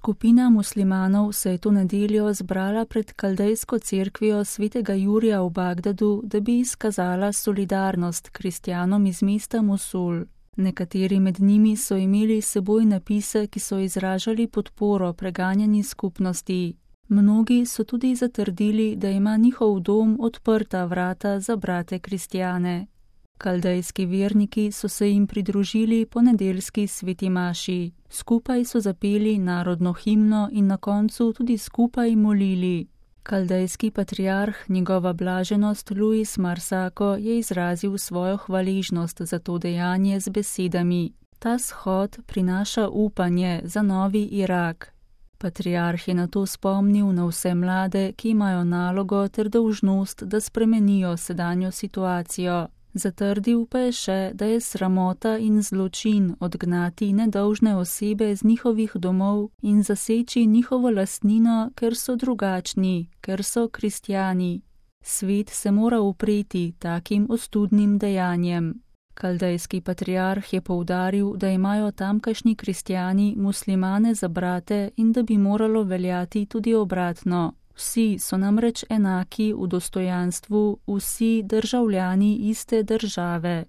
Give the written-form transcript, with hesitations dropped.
Skupina muslimanov se je to nedeljo zbrala pred kaldejsko cerkvijo svetega Jurija v Bagdadu, da bi izkazala solidarnost kristjanom iz mesta Mosul. Nekateri med njimi so imeli s seboj napise, ki so izražali podporo preganjeni skupnosti. Mnogi so tudi zatrdili, da ima njihov dom odprta vrata za brate kristjane. Kaldejski verniki so se jim pridružili po nedeljski sveti maši. Skupaj so zapeli narodno himno in na koncu tudi skupaj molili. Kaldejski patriarh, njegova blaženost Luis Marsako, je izrazil svojo hvaležnost za to dejanje z besedami: Ta shod prinaša upanje za novi Irak. Patriarh je nato spomnil na vse mlade, ki imajo nalogo ter dolžnost, da spremenijo sedanjo situacijo. Zatrdil pa je še, da je sramota in zločin odgnati nedolžne osebe z njihovih domov in zaseči njihovo lastnino, ker so drugačni, ker so kristjani. Svet se mora upreti takim ostudnim dejanjem. Kaldejski patriarh je poudaril, da imajo tamkajšnji kristjani muslimane za brate in da bi moralo veljati tudi obratno. Vsi so namreč enaki v dostojanstvu, vsi državljani iste države.